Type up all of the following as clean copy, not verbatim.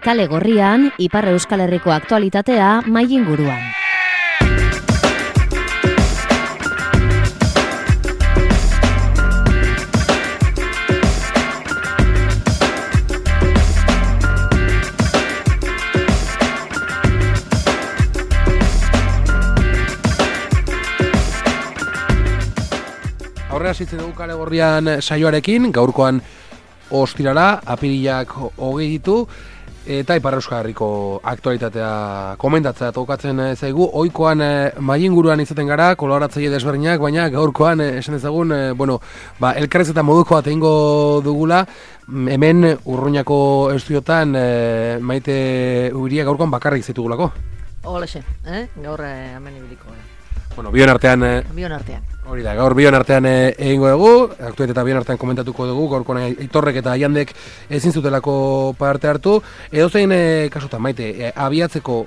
Kale Gorrian, Ipar Euskal Herriko aktualitatea mahai inguruan. Aurrera zitzen dugu Kale Gorrian saioarekin, gaurkoan ostirala, apirilak 20 ditu, eta Ipar Euskal Herriko aktualitatea komentatzea tokatzen zaigu. Ohikoan mahai inguruan izaten gara, kolaboratzaile desberdinak, baina gaurkoan esan dezagun, elkarrizketa moduko bat egingo dugula. Hemen Urruñako estudiotan Maite Ubiria gaurkoan bakarrik zitugulako. Holaxe, gaur hemen ibiliko gara. Bion artean. Hori da, gaur bion artean egingo dugu, aktualitatea bion artean komentatuko dugu, gaurkoan Aitorrek eta Jandek ezin zutelako parte hartu. Edozein kasutan, Maite, abiatzeko,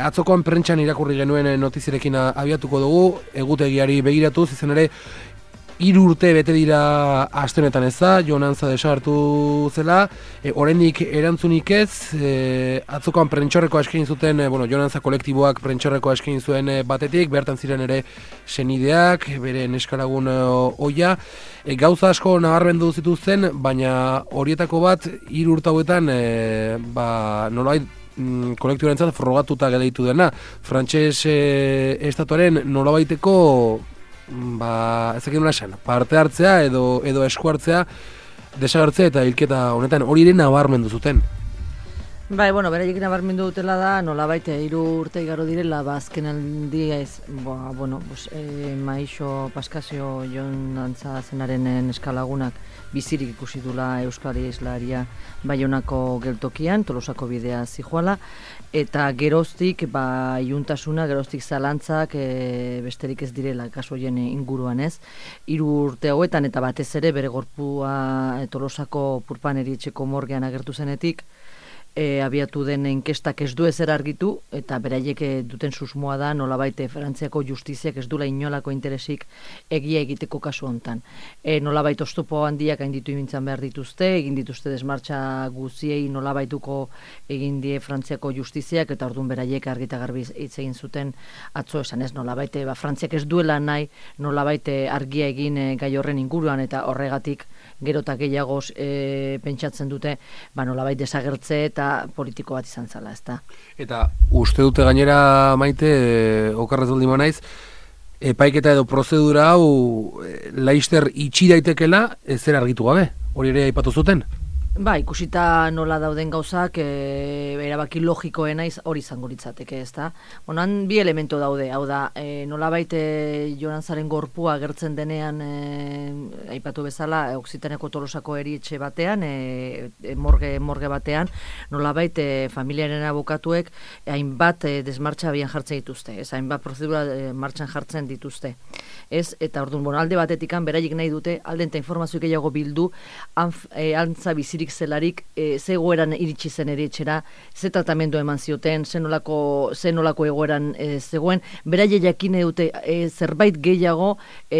atzokoan prentxan irakurri genuen notizirekin abiatuko dugu, egutegiari begiratuz, izan ere, 3 urte bete dira aste honetan ez da, Jon Antza desagertu zela, oraindik erantzunik ez, atzokoan prentxorreko eskain zuten, Jon Antza kolektiboak prentxorreko eskain zuen batetik, bertan ziren ere senideak, bere neskalagun ohia, gauza asko nabarmendu zituzten, baina horietako bat 3 urte hauetan, nolabait kolektiboarentzat frogatuta gelditu dena, frantses estatuaren nolabaiteko ezakin nola esan, parte hartzea edo esku hartzea, desagertzea eta hilketa honetan hori ere nabarmendu zuten. Beraiek nabarmendu dutela da, nolabait 3 urte igaro direla, azken aldia ez, Maixo Paskazio Jon Antza zenaren neskalagunak bizirik ikusi dula Euskari Islaria Baionako geltokian, Tolosako bidea zijoala, eta geroztik iluntasuna, geroztik zalantzak besterik ez direla kasu horien inguruan ez. 3 urte hauetan eta batez ere bere gorpua Tolosako Purpan erietxeko morgean agertu zenetik, abiatu den inkestak ez du ezer argitu, eta beraiek duten susmoa da nolabait Frantziako justiziak ez dula inolako interesik egia egiteko kasu hontan. Nolabait oztopo handiak gainditu imintzan behar dituzte, egin dituzte desmartxa guziei nolabaituko egin die Frantziako justiziak, eta orduan beraiek argita garbi hitz egin zuten atzo esan ez, nolabait Frantziak ez duela nahi nolabait argia egin gai horren inguruan, eta horregatik gero eta gehiagoz pentsatzen dute nolabait desagertze eta politiko bat izan zala, ezta. Eta uste dute gainera, Maite, okarrez baldin naiz, epaiketa edo prozedura hau laister itxi daitekela zer argitu gabe, hori ere aipatu zuten? Ikusita nola dauden gauzak, erabaki logikoena hori izango litzateke, ezta. Han 2 elemento daude, hau da, nolabait Jon Antzaren gorpua agertzen denean, aipatu bezala, Oksitaneko Tolosako erietxe batean, morge batean, nolabait familiaren abokatuek hainbat desmartxa abian jartzen dituzte, hainbat prozedura martxan jartzen dituzte. Eta orduan, alde batetikan, beraiek nahi dute, alde eta informazio gehiago bildu, Antza bizirik zelarik, ze egoeran iritsi zen erietxera, ze tratamendu eman zioten, ze nolako egoeran zegoen, beraie jakine dute zerbait gehiago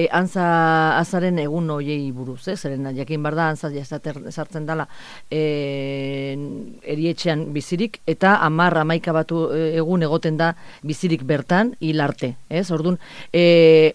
Antzaren egun hoiei buruz, zeren jakin bar da Antza sartzen dela erietxean bizirik, eta 10-11 batu egun egoten da bizirik bertan hil arte, orduan,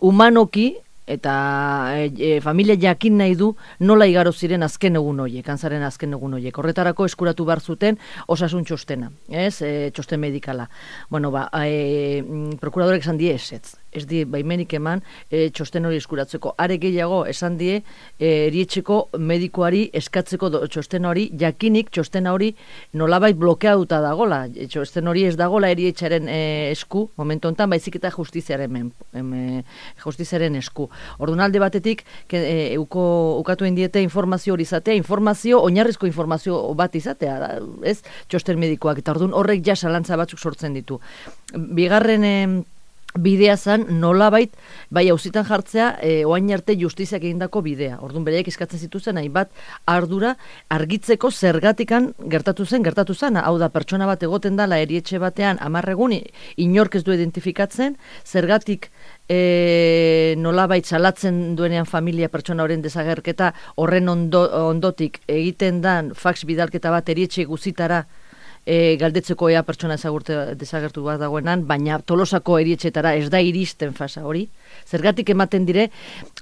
humanoki eta familia jakin nahi du nola igaro ziren azken egun horiek, Antzaren azken egun horiek. Horretarako eskuratu behar zuten osasun txostena, txosten medikala. Prokuradorek esan die ezetz. Ez die baimenik eman txosten hori eskuratzeko. Are gehiago esan die erietxeko medikoari eskatzeko txosten hori, jakinik txosten hori nolabait blokeatuta dagola. Txosten hori ez dagola erietxaren esku, momentu honetan, baizik eta justiziaren esku. Orduan alde batetik, ukatu indiete informazio hori izatea, oinarrizko informazio bat izatea, ez txosten medikoak, eta orduan horrek ja zalantza batzuk sortzen ditu. Bigarren bidea zen nolabait, auzitan jartzea, oain arte justiziak egindako bidea. Orduan bereik eskatzen zituzen, hainbat ardura argitzeko zergatikan gertatu zen. Hau da, pertsona bat egoten dala erietxe batean 10 egun, inork ez du identifikatzen, zergatik nolabait salatzen duenean familia pertsona horren desagerketa, horren ondotik egiten dan fax bidalketa bat erietxe guzitara galdetzeko ea pertsona desagertu bat dagoenan, baina Tolosako erietxetara ez da iristen fasa hori. Zergatik ematen dire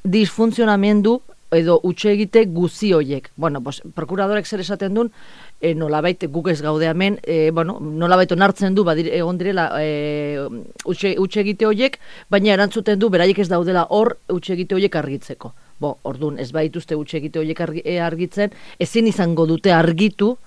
disfuntzionamendu edo utxegite guzi hoiek. Bueno, prokuradorek zer esaten duen, nolabait guk ez gaude hemen, nolabait onartzen du, egon direla utxegite hoiek, baina erantzuten du, beraiek ez daudela hor utxegite hoiek argitzeko. Orduan, ez baituzte utxegite hoiek argitzen, ezin izango dute argitu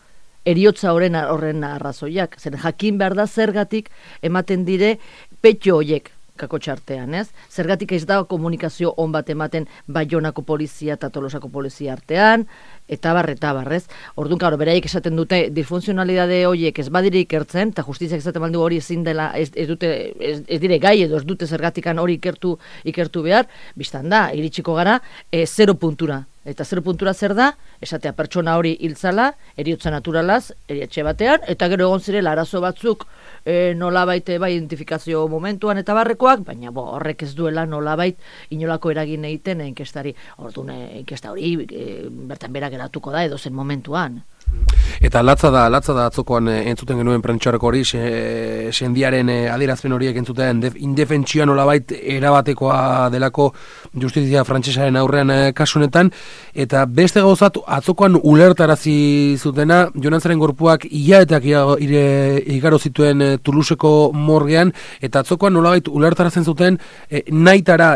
eriotza horren arrazoiak. Zer jakin behar da zergatik ematen dire petxo hoiek kakotxartean, ez? Zergatik ez da komunikazio on bat ematen Baionako polizia eta Tolosako polizia artean, eta barrez. Orduan, karo, beraiek esaten dute disfunzionalidade horiek ez badire ikertzen, eta justiziak esaten baldu hori ezin dela, ez dire gai edo ez dute zergatikan hori ikertu behar, biztan da, iritsiko gara, 0 puntura. Eta 0 puntura zer da, esatea pertsona hori hiltzala, eriotza naturalaz, erietxe batean, eta gero egon zirela arazo batzuk nolabait identifikazio momentuan eta barrekoak, baina horrek ez duela nolabait inolako eragin egiten inkestari. Orduan, inkesta hori bertan bera geratuko da edo zen momentuan. Eta latza da atzokoan entzuten genuen prentxarako hori, sendiaren adierazpen horiek entzuten indefentsioa nolabait erabatekoa delako justizia frantsesaren aurrean kasunetan, eta beste gauzat atzokoan ulertarazi zutena, Jonantzaren gorpuak hilabeteak igaro zituen Toulouseko morgean, eta atzokoan nolabait ulertarazen zuten nahitara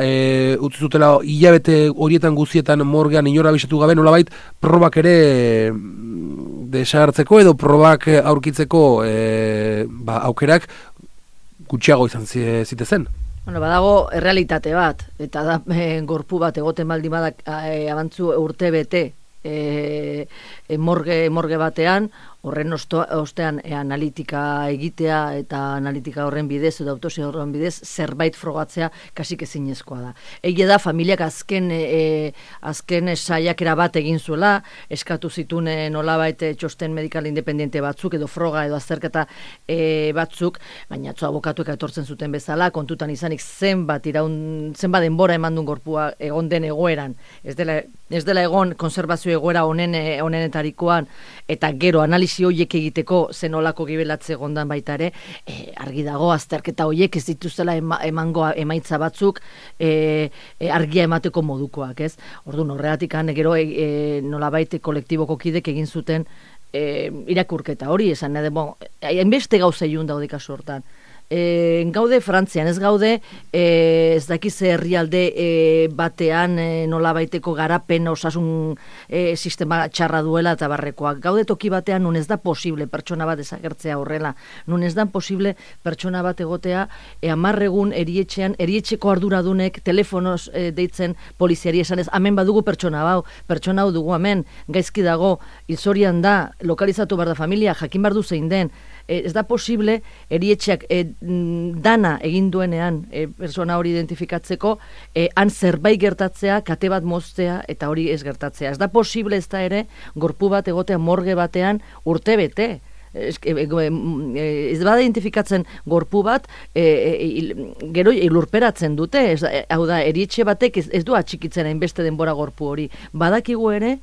utzi zutela hilabete horietan guzietan morgean inora bisatu gabe nolabait probak ere desagertzeko edo probak aurkitzeko aukerak gutxiago izan zitezen. Badago errealitate bat, eta da gorpu bat egoten baldin badak abantzu urte bete morge batean, horren ostean analitika egitea eta analitika horren bidez edo autopsia horren bidez zerbait frogatzea kasik ezinezkoa da. Egia da familiak azken saiakera bat egin zuela, eskatu zituen nolabait txosten medikal independiente batzuk edo froga edo azterketa batzuk, baina atzo abokatuek etortzen zuten bezala, kontutan izanik zenbat denbora eman duen gorpua egon den egoeran, ez dela egon konservazio egoera honenetarikoan, eta gero analizi horiek egiteko zenolako gibelatze egondan baita ere, argi dago azterketa horiek ez dituzela emango emaitza batzuk argia emateko modukoak, ez? Orduan, horregatik gero nolabait kolektiboko kidek egin zuten irakurketa hori, esan hainbeste gauza ilun daude kasu hortan. Gaude Frantzian, ez gaude ez dakiz herrialde batean nolabaiteko garapen osasun sistema txarra duela eta barrekoak. Gaude toki batean nun ez da posible pertsona bat desagertzea horrela. Nun ez da posible pertsona bat egotea 10 egun erietxeko arduradunek telefonoz deitzen poliziari esanez, hemen badugu pertsona hau dugu hemen, gaizki dago, hilzorian da, lokalizatu behar da familia, jakin behar du zein den. Ez da posible erietxeak dana egin duenean persona hori identifikatzeko han zerbait gertatzea, kate bat moztea eta hori ez gertatzea. Ez da posible ez da ere gorpu bat egotea morge batean urte bete. Ez bada identifikatzen gorpu bat gero lurperatzen dute, hau da, erietxe batek ez du atxikitzen hainbeste denbora gorpu hori. Badakigu ere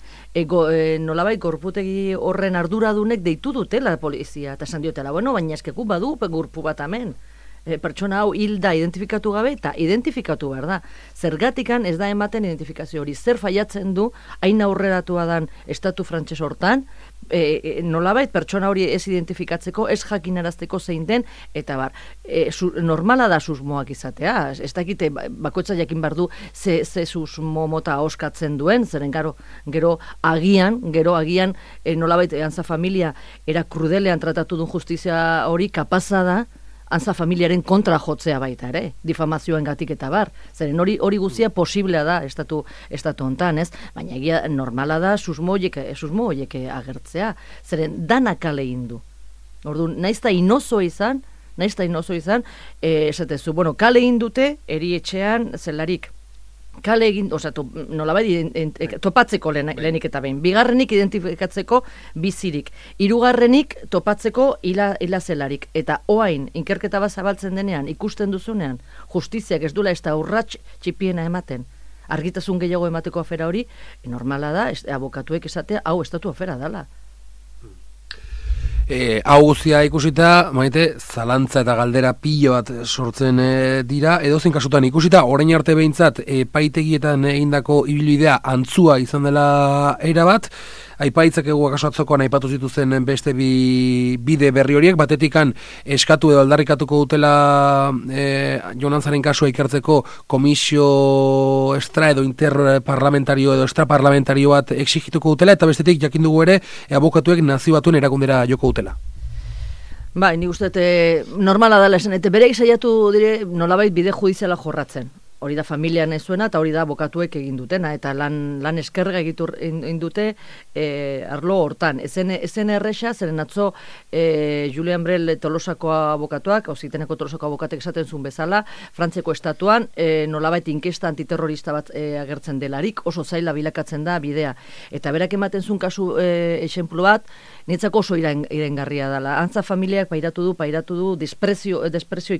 nolabait gorputegi horren arduradunek deitu dutela polizia, eta esan diotela, baina eskeku badu gorpu bat hemen. Pertsona hau hilda identifikatu gabe eta identifikatu behar da. Zergatikan ez da ematen identifikazio hori. Zer faiatzen du, hain aurreratua dan estatu frantses hortan, nolabait pertsona hori ez identifikatzeko, ez jakinarazteko zein den, eta bar, normala da susmoak izatea. Ez dakite, bakoitza jakin behar du ze susmo mota oskatzen duen, zeren gero agian nolabait antza familia era krudelean tratatu duen justizia hori kapaza da, antza familiaren kontra jotzea baita ere, difamazioen gatik eta bar. Zeren hori guzia posiblea da estatu hontan, ez? Baina egia normala da susmo horiek agertzea. Zeren dana kale indu. Orduan, naizta inozo izan, esatezu, kale indute erietxean zelarik. Kale egin, nolabait topatzeko lehenik eta behin. Bigarrenik identifikatzeko bizirik. Hirugarrenik topatzeko hilazelarik. Eta oain, inkerketa bat zabaltzen denean, ikusten duzunean, justiziak ez duela ez da urrats txipiena ematen. Argitasun gehiago emateko afera hori, normala da, abokatuek esatea, hau estatu afera dela. Hau guztia ikusita, maite, zalantza eta galdera pilo bat sortzen dira, edozein kasutan ikusita, orain arte behintzat, epaitegietan egindako ibilbidea antzua izan dela erabat, aipaitzak egu akaso atzokoan aipatu zituzen beste bide berri horiek, batetikan eskatu edo aldarrikatuko dutela Jonantzaren kasua ikertzeko komisio extra edo interparlamentario edo extraparlamentario bat exigituko dutela, eta bestetik jakin dugu ere abokatuek Nazio Batuen erakundera joko dutela. Bai, ni uste normala dela esan, eta bereik saiatu dire nolabait bide judiziala jorratzen. Hori da familian ez zuena, eta hori da abokatuek egin dutena, eta lan eskerga egin dute arlo hortan. Ezen erresa, zeren atzo Julian Brel Tolosako abokatuak, Auziteneko Tolosako abokatek esaten zuen bezala, Frantziako estatuan nolabait inkesta antiterrorista bat agertzen delarik, oso zaila bilakatzen da bidea. Eta berak ematen zuen kasu esenplu bat, niretzako oso irengarria dela. Antza familiak pairatu du desprezio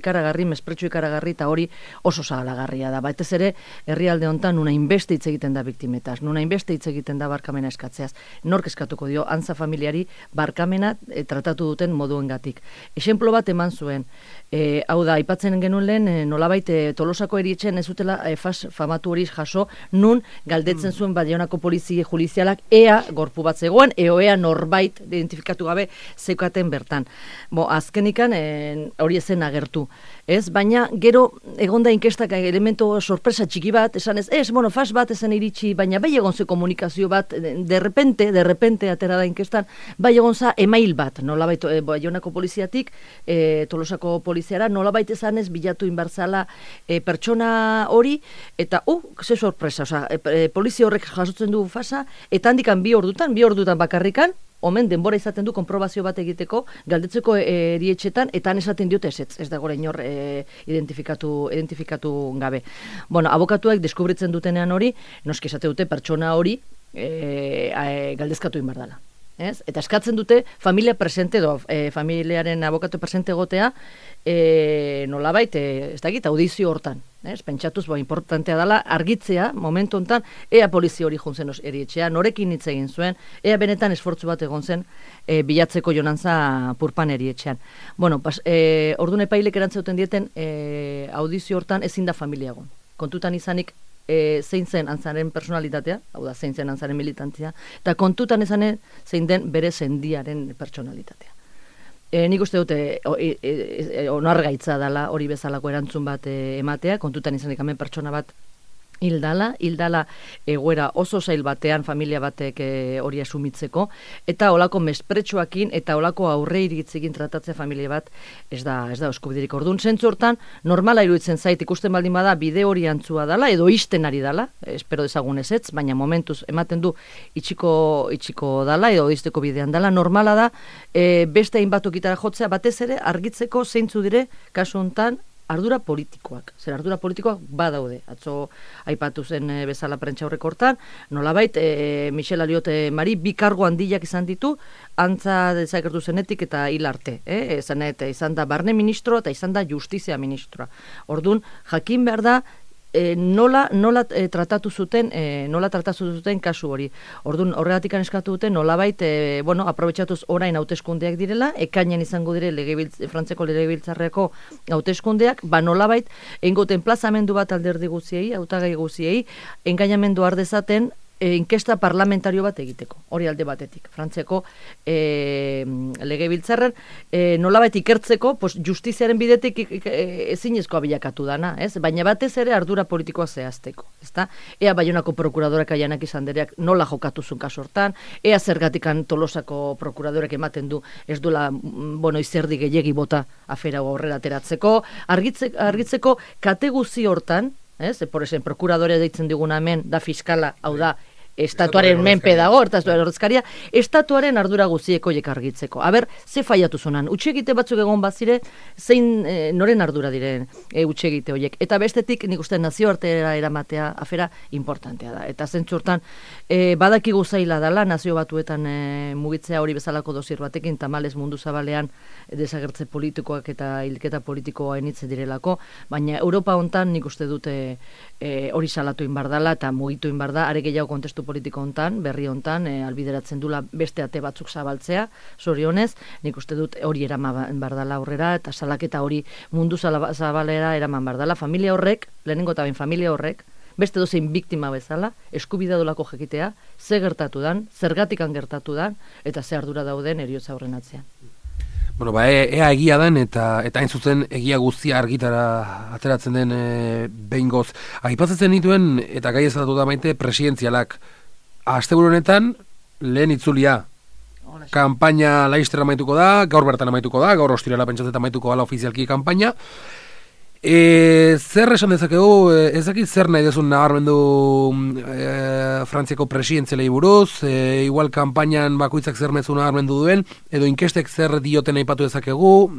ikaragarri, mespretxo ikaragarri, eta hori oso zagalagarria da. Batez ere, herrialde hontan nuna inbeste hitz egiten da biktimetaz, nuna inbeste hitz egiten da barkamena eskatzeaz. Nork eskatuko dio, antza familiari barkamena tratatu duten moduengatik. Esenplo bat eman zuen, hau da, aipatzen genuen lehen, nolabait Tolosako erietxean ez zutela famatu hori jaso, nun galdetzen zuen Baionako polizia judizialak ea gorpu bat zegoen, ea norbait identifikatu gabe zeukaten bertan. Azkenikan hori ezen agertu. Ez, baina gero egonda inkestak elemento sorpresa txiki bat, esan fas bat ezen iritsi, baina bai egon ze komunikazio bat, de repente atera da inkestan, bai egon za email bat, nolabait Baionako poliziatik, Tolosako poliziara, nolabait ezanez bilatu inbarzala pertsona hori, eta ze sorpresa, polizia horrek jasotzen du fasa, eta handikan bi ordutan bakarrikan, omen denbora izaten du konprobazio bat egiteko, galdetzeko erietxetan, eta han esaten diote ez da gora inor identifikatu gabe. Abokatuek deskubritzen dutenean hori, noski esate dute pertsona hori galdezkatu inbardala. Eta eskatzen dute familia presente edo familiaren abokatu presente egotea nolabait, ez dakit, audizio hortan. Pentsatuz, importantea dela, argitzea, momentu hontan, ea polizia hori juntzen erietxea, norekin hitz egin zuen, ea benetan esfortzu bat egon zen bilatzeko Jonantza Purpan erietxean. Orduan epailek erantzauten dieten, audizio hortan ezin da familia egon. Kontutan izanik, zein zen antzaren personalitatea, hau da, zein zen antzaren militantzia, eta kontutan izanen zein den bere sendiaren personalitatea. Nik uste dute onargaitza dela hori bezalako erantzun bat ematea, kontutan izanik hemen pertsona bat hildala egoera oso zail batean familia batek hori asumitzeko, eta olako mespretsuakin eta olako aurre iritzekin tratatzea familia bat ez da eskubiderik. Orduan, zentzu hortan, normala iruditzen zait, ikusten baldin bada bide hori antzua dala, edo isten ari dala, espero dezagun ezetz, baina momentuz ematen du itxiko dala, edo izteko bidean dala, normala da, beste hainbat okitara jotzea, batez ere, argitzeko zeintzu dire, kasu hontan, ardura politikoak. Ardura politikoak badaude. Atzo aipatu zen bezala prentxaurreko hortan, nolabait Michel Aliot Mari bi kargo handiak izan ditu, antza dezagertu zenetik eta hil arte. Izan da barne ministro eta izan da justizia ministroa. Orduan, jakin behar da, nola tratatu zuten kasu hori. Orduan, horregatik eskatu duten, nolabait, aprobetxatuz orain hauteskundeak direla, ekainan izango dire Frantzeko legebiltzarreko hauteskundeak, nolabait, eingoten plazamendu bat alderdi guziei, hautagai guziei, engainamendu ardezaten, inkesta parlamentario bat egiteko, hori alde batetik. Frantzeko legebiltzarren nolabait ikertzeko, justiziaren bidetik ezinezkoa bilakatu dana, baina batez ere ardura politikoa zehazteko. Ea Baionako prokuradorak Aianak izandereak nola jokatuzun kasortan, ea zergatikan Tolosako prokuradorak ematen du ez duela izerdi gehiegi bota afera aurrera ateratzeko, argitzeko kate guzi hortan, por esen, prokuradore deitzen diguna hemen, da fiskala, hau da, estatuaren menpe dago, ordezkaria, estatuaren ardura guzieko argitzeko. Aber, ze faiatu zonan, utxegite batzuk egon bazire, zein noren ardura diren utxegite horiek. Eta bestetik, nik uste nazioartera eramatea afera importantea da. Eta zentzurtan, badakigu zaila dela, nazio batuetan mugitzea hori bezalako dosier batekin, tamalez mundu zabalean desagertze politikoak eta hilketa politikoa enitze direlako, baina Europa hontan nik uste dute hori salatu inbardala eta mugitu inbarda, are gehiago kontestu politiko hontan, berri hontan, albideratzen dula beste ate batzuk zabaltzea, zorionez, nik uste dut hori eraman bardala aurrera, eta salaketa hori mundu zabalera eraman bardala, familia horrek, lehenengo eta familia horrek, beste dozein biktima bezala, eskubidea dolako jakitea, ze gertatu dan, zergatikan gertatu dan, eta ze ardura dauden heriotza horren atzean. Bueno, ea egia den eta hain zuzen egia guztia argitara ateratzen den behingoz. Aipatzen dituen, eta gai ezatatu da Maite, presidentzialak. Asteburu honetan, lehen itzulia. Kanpaina laizter amaituko da, gaur bertan amaituko da, gaur ostirala pentsatzen amaituko gala ofizialki kanpaina. Zer esan dezakegu, ez dakit zer nahi dezun nabarmendu Frantziako presidentzialei buruz, igual kanpainan bakoitzak zer mezu nabarmendu duen, edo inkestek zer dioten aipatu dezakegu,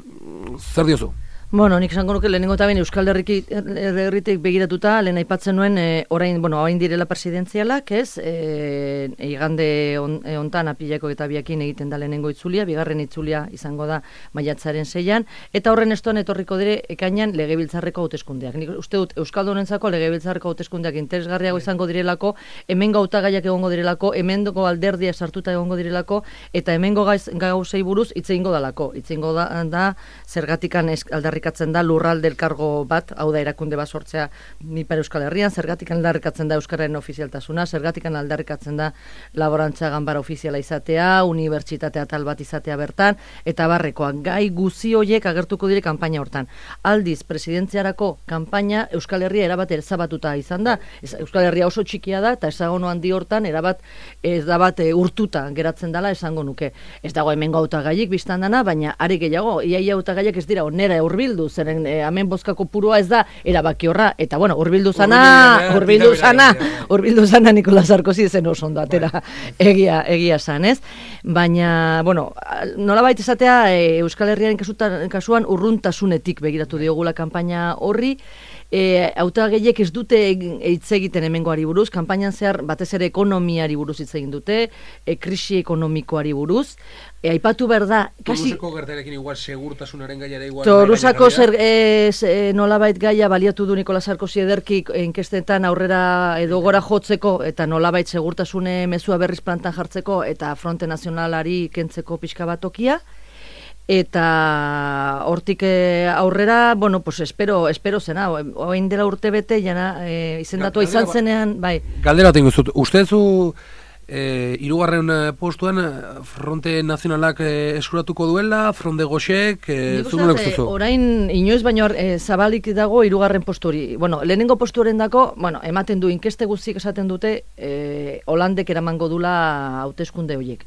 zer diozu? Bueno, nik esango nuke lehenengo eta behin Euskal Herritik begiratuta, lehen aipatzen nuen, orain direla presidentzialak, ez? Igande hontan apileko eta biakin egiten da lehenengo itzulia, bigarren itzulia izango da maiatzaren 6an, eta horren estuan etorriko dire ekainan legebiltzarreko hauteskundeak. Nik uste dut Euskaldunentzako legebiltzarreko hauteskundeak interesgarriago izango direlako, hemengo hautagaiak egongo direlako, hemengo alderdia sartuta egongo direlako, eta hemengo gauzei buruz hitz egingo dalako. Hitz egingo da zergatikan aldarrikatzen da lurralde elkargo bat, hau da erakunde bat sortzea Ipar Euskal Herrian, zergatik aldarrikatzen da euskararen ofizialtasuna, zergatik aldarrikatzen da laborantza ganbara ofiziala izatea, unibertsitatea tal bat izatea bertan, eta barrekoak gai guzi horiek agertuko dire kanpaina hortan. Aldiz, presidentziarako kanpaina Euskal Herria erabat ezabatuta izan da, Euskal Herria oso txikia da, eta esagono handi hortan erabat urtuta geratzen dela esango nuke. Ez dago hemengo hautagaiik biztan dana, baina are gehiago, iaia hautagaiak ez dira onera hurbildu, zeren hemen bozkako purua ez da erabaki horra, eta bueno, hurbildu zana Nicolas Sarkozy zen oso ondo atera, egia san, ez? Baina, bueno, nolabait esatea Euskal Herriaren kasuan urruntasunetik begiratu diogula kanpaina horri, hautagaiek ez dute hitz egiten hemengoari buruz, kanpainan zehar batez ere ekonomiari buruz hitz egin dute, krisi ekonomikoari buruz, aipatu behar da, Torusako gertarekin igual segurtasunaren gaiara igual... Torusako nolabait gaia baliatu du Nicolas Sarkozy ederki inkestetan aurrera edo gora jotzeko eta nolabait segurtasune mezua berriz plantan jartzeko eta Fronte Nazionalari kentzeko pixka bat tokia. Eta hortik aurrera, bueno, pues espero zena, oain dela urte bete, jana izendatua izan zenean, bai. Galdera tengo zut, ustezu hirugarren postuan Fronte Nazionalak eskuratuko duela, Fronde Goxek, zuen ustezu? Orain inoiz baino zabalik dago hirugarren postu hori. Bueno, lehenengo postuaren dako, bueno, ematen du inkeste guztiek esaten dute, Holandek eramango dula hauteskunde horiek.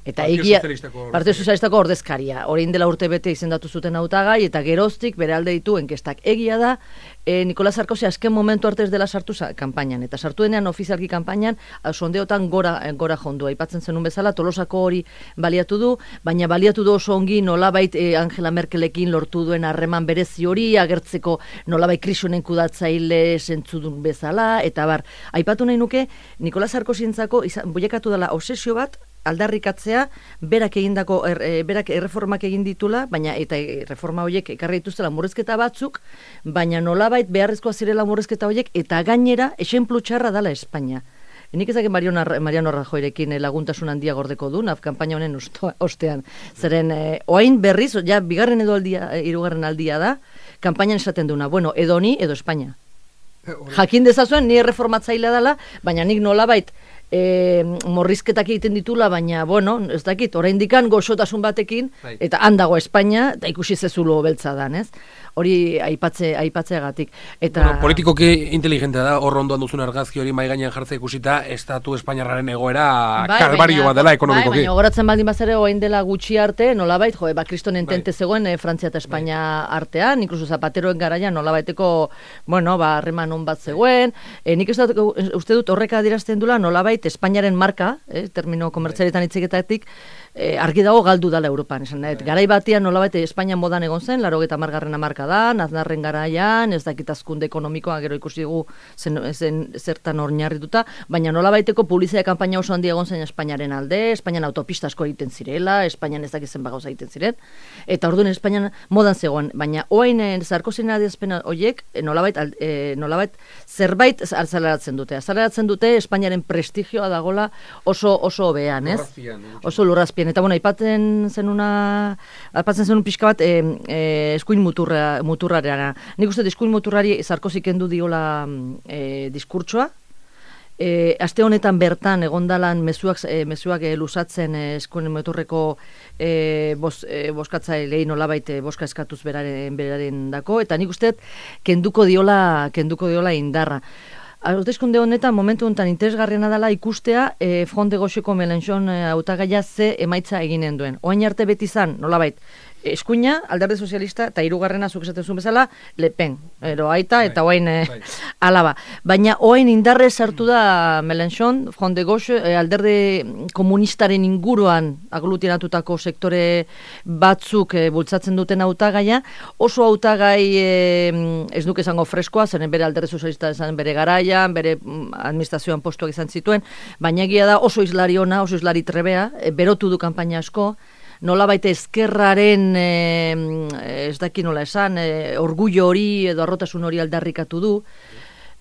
Eta Partido Sozialistako ordezkaria. Orain dela urte bete izendatu zuten hautagai eta geroztik bere alde ditu enkestak. Egia da, Nicolas Sarkozy azken momentu arte ez dela sartu kanpainan. Eta sartu denean ofizialki kanpainan, sondeotan gora jondua. Aipatzen zenun bezala, Tolosako hori baliatu du, baina baliatu du oso ongi nolabait Angela Merkelekin lortu duen harreman berezi hori, agertzeko nolabait krisunen kudatzaile zentzudun bezala, eta bar. Aipatu nahi nuke, Nicolas Sarkozy-entzako boiekatu dela obsesio bat, aldarrikatzea, berak erreformak egin ditula, baina eta reforma horiek ekarri dituztela murrizketa batzuk, baina nolabait beharrezkoa zirela murrizketa horiek, eta gainera, esenplu txarra dala Espainia. Nik ezak Mariano Rajoyrekin laguntasun handia gordeko du, kanpaina honen ostean. Zeren, oain berriz, ja, bigarren edo hirugarren aldia da, kanpainan esaten duna, bueno, edo ni, edo Espainia. Jakin dezazuen, ni erreformatzailea dela, baina nik nolabait, morrizketak egiten ditula, baina, bueno, ez dakit, oraindikan goxotasun batekin, eta handago Espainia, eta ikusi zezulo beltza dan, ez? Hori aipatzeagatik. Eta politikoki inteligentea da, hor ondoan duzun argazki hori mai gainean jartzea ikusita, estatu espainiarraren egoera kalbario bat dela ekonomikoki. Baina goratzen baldin bazere orain dela gutxi arte, nolabait, Kriston entente zegoen Frantzia eta Espainia artean, inkluso Zapateroen garaian nolabaiteko, bueno, harreman on bat zegoen. Nik uste dut horrek adierazten dula nolabait Espainiaren marka, termino komertzialetan hitzeketatik, argi dago galdu dala Europan. Garai batean nolabait Espainian modan egon zen, 80. hamarkadan, Aznarren garaian, ez dakit hazkunde ekonomikoa gero ikusi dugu zertan oinarrituta, baina nolabaiteko publizitate kanpaina oso handia egon zen Espainiaren alde, Espainian autopista asko egiten zirela, Espainian ez dakit zenbat gauza egiten ziren, eta orduan Espainian modan zegoen, baina orain Sarkozyren adierazpen horiek nolabait zerbait azaleratzen dute. Azaleratzen dute Espainiaren prestigioa prestigioa dagola oso hobean, ez? Oso lurrazpian. Eta, bueno, aipatzen zenun pixka bat eskuin muturrareana. Nik uste eskuin muturrari Sarkozy kendu diola diskurtsoa. Aste honetan bertan egondalan mezuak luzatzen eskuin muturreko boskatzaileei nolabait boska eskatuz beraren dako, eta nik uste kenduko diola indarra. Hauteskunde honetan, momentu honetan interesgarriena dela ikustea Front de Gaucheko Mélenchon hautagaia ze emaitza eginen duen. Oain arte beti zan, nolabait, eskuina, Alderdi Sozialista, eta hirugarrena zuk esaten zuen bezala, Le Pen, aita eta oain alaba. Baina oain indarrez sartu da Mélenchon, Front de Gauche, Alderdi Komunistaren inguruan aglutinatutako sektore batzuk bultzatzen duten hautagaia, oso hautagai ez duk esango freskoa, zeren bere Alderdi Sozialista esan bere garaian, bere administrazioan postuak izan zituen, baina egia da oso islari ona, oso islari trebea, berotu du kanpaina asko, nolabait ezkerraren ez daki nola esan, orgullo hori edo arrotasun hori aldarrikatu du,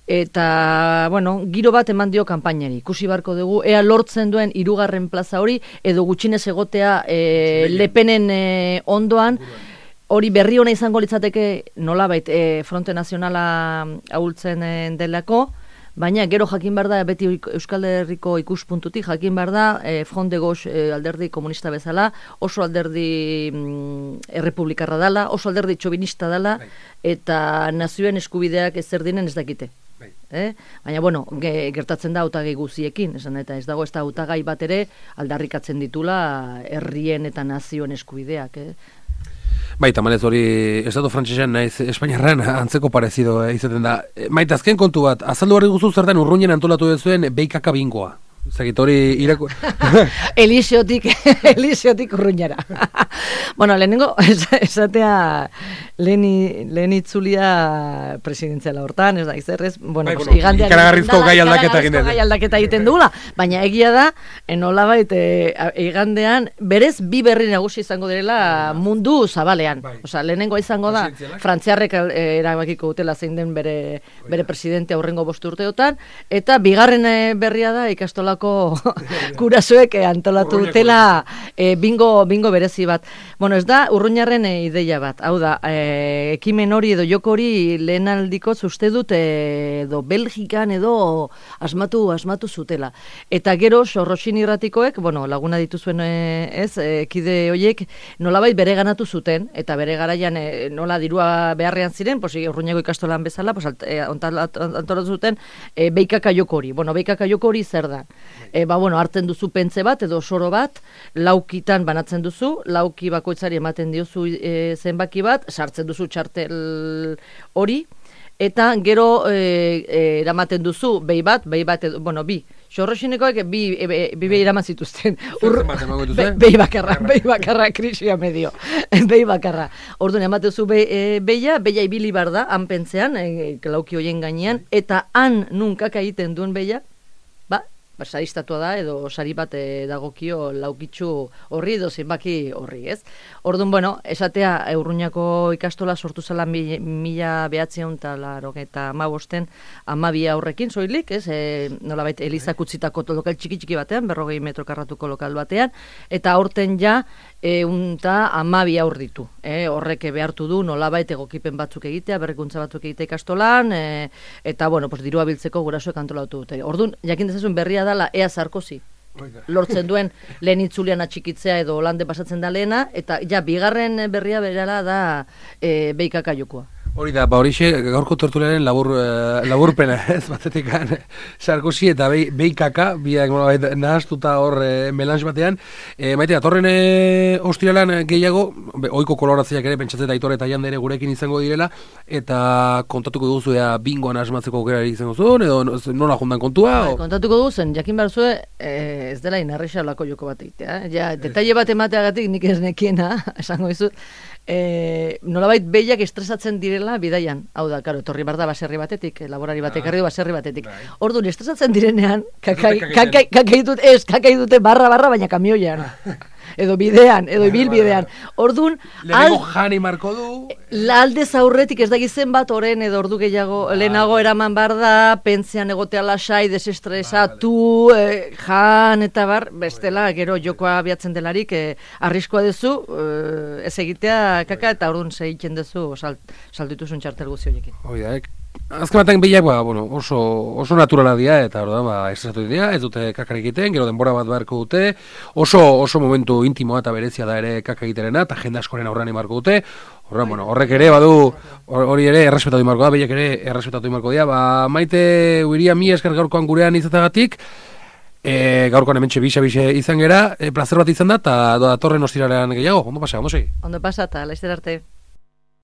eta, bueno, giro bat eman dio kanpainari. Ikusi barko dugu, ea lortzen duen hirugarren plaza hori, edo gutxinez egotea Le Penen ondoan, hori berri ona izango litzateke nolabait Fronte Nazionala ahultzen delako, baina gero jakin behar da, beti Euskal Herriko ikuspuntutik jakin behar da, Front de Gauche alderdi komunista bezala, oso alderdi errepublikarra dela, oso alderdi txobinista dela, eta nazioen eskubideak ezer dinen ez dakite. Baina, bueno, gertatzen da hautagai guziekin, esan eta ez dago ez da hautagai bat ere aldarrikatzen ditula herrien eta nazioen eskubideak, Bai, tamalez hori estatu frantsesean naiz Espainiarran antzeko parezido izaten da. Maite, azken kontu bat, azaldu barri guzu zertan Urruñen antolatu duzuen BKK bingoa. Zagit hori irako... Eliseotik Urruñara. Bueno, lehenengo, esatea lehen itzulia presidentziala hortan, ez da, izerrez, bueno, igandean... Ikaragarrizko gai aldaketa egin gai aldaketa egiten dugula, baina egia da, nolabait igandean, berez bi berri nagusi izango direla mundu zabalean. Osa, lehenengo izango da, frantziarrek erabakiko dutela zein den bere presidente aurrengo 5 urteotan, eta bigarren berria da ikastolako kurasoek antolatu dutela bingo berezi bat. Bueno, ez da Urruñarren ideia bat. Hau da, ekimen hori edo joko hori lehenaldiko uste dut edo Belgikan edo asmatu zutela. Eta gero Sorroxin irratikoek, bueno, laguna dituzuen kide horiek nolabait bere ganatu zuten, eta bere garaian nola dirua beharrean ziren, Urruñako ikastolan bezala, antolatu zuten beikaka joko hori. Bueno, beikaka joko hori zer da? Bueno, hartzen duzu pentze bat edo soro bat, laukitan banatzen duzu, lauki bakoitzari ematen diozu zenbaki bat, sartzen duzu txartel hori, eta gero eramaten duzu behi bat, bueno, bi. Sorroxinekoek bi eraman zituzten. Behi bakarra, krisia medio. Behi bakarra. Orduan, ematen zu behia ibili bar da, han pentzean, lauki hoien gainean, eta han nunkaka egiten duen behia, saristatua da, edo sari bat dagokio laukitxu horri edo zenbaki horri, ez? Orduan, bueno, esatea Urruñako ikastola sortu zela 1985 12 aurrekin, soilik, ez? Nolabait Elizak utzitako lokal txiki batean, 40 metro karratuko lokal batean, eta aurten ja 12 aur ditu. Horrek behartu du nolabait egokipen batzuk egitea, berrikuntza batzuk egitea ikastolan, eta, bueno, dirua biltzeko gurasoek antolatu dute. Orduan, jakin dezazun berria dala ea Sarkozy lortzen duen lehen itzulian atxikitzea edo Holande pasatzen da lehena, eta ja, bigarren berria berala da beikaka jokoa. Hori da, horixe gaurko tertuliaren laburpena, ez batetik Sarkozy eta beikaka, biak nahaztuta hor melange batean. Maite, atorren ostiralan gehiago, ohiko koloratziak ere pentsatzen Aitor eta Jande ere gurekin izango direla, eta kontatuko duzu bingoan asmatzeko aukera izango zuen, edo nola jundan kontua? Kontatuko duzen, jakin behar zuen, ez dela inarrexa olako joko bat egitea. Detaile bat emateagatik nik ez nekiena, esango dizut, nolabait behiak estresatzen direla bidaian. Hau da, karo, etorri bar da baserri batetik, laborari batek erri du baserri batetik. Orduan, estresatzen direnean, kakai dute barra, baina kamioian. edo bidean, edo ibilbidean. Orduan, lehenengo jani marko du. Aldez aurretik ez dakizen bat oren edo ordu gehiago lehenago eraman bar da, pentzean egotea lasai, desestresatu, jan eta bar, bestela gero jokoa abiatzen delarik, arriskoa duzu, ez egitea kaka eta orduan segiten duzu saldituzun txartel guzti horiekin. Oida, azken batean bilak, oso naturala dira, eta estresatu dira, ez dute kakar egiten, gero denbora bat beharko dute, oso momentu intimoa eta berezia da ere kaka egiterena, eta jende askoren aurrean imarko dute, horrek ere badu, hori ere errespetatu imarko da, behiak ere errespetatu imarko dira, Maite Uiria mi esker gaurkoan gurean izatagatik, gaurkoan hementxe bixe izan gera, plazer bat izan da, eta datorren ostiralean gehiago, ondo pasa, ondo segi? Ondo pasa, eta laizter arte.